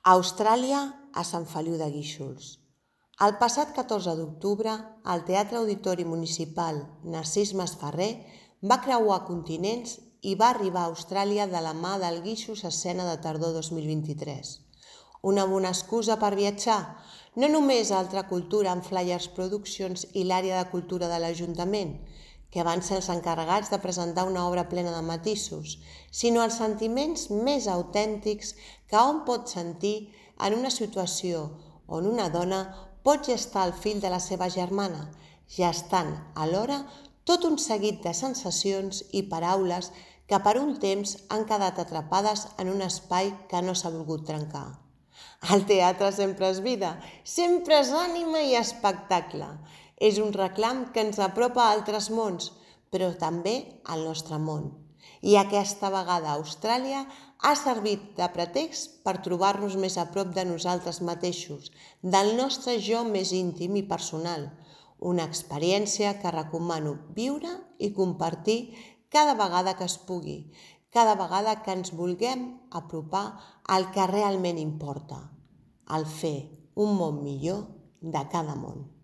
A Austràlia, a Sant Feliu de Guíxols. El passat 14 d'octubre, el Teatre Auditori Municipal Narcís Masferrer va creuar continents i va arribar a Austràlia de la mà del Guíxols Escena de Tardor 2023. Una bona excusa per viatjar, no només a Altra Cultura amb Flyers Produccions i l'àrea de cultura de l'Ajuntament, que van ser els encarregats de presentar una obra plena de matisos, sinó els sentiments més autèntics que hom pot sentir en una situació on una dona pot gestar el fill de la seva germana, gestant alhora tot un seguit de sensacions i paraules que per un temps han quedat atrapades en un espai que no s'ha volgut trencar. El teatre sempre és vida, sempre és ànima i espectacle. És un reclam que ens apropa a altres mons, però també al nostre món. I aquesta vegada Austràlia ha servit de pretext per trobar-nos més a prop de nosaltres mateixos, del nostre jo més íntim i personal. Una experiència que recomano viure i compartir cada vegada que es pugui, cada vegada que ens vulguem apropar al que realment importa, al fer un món millor de cada món.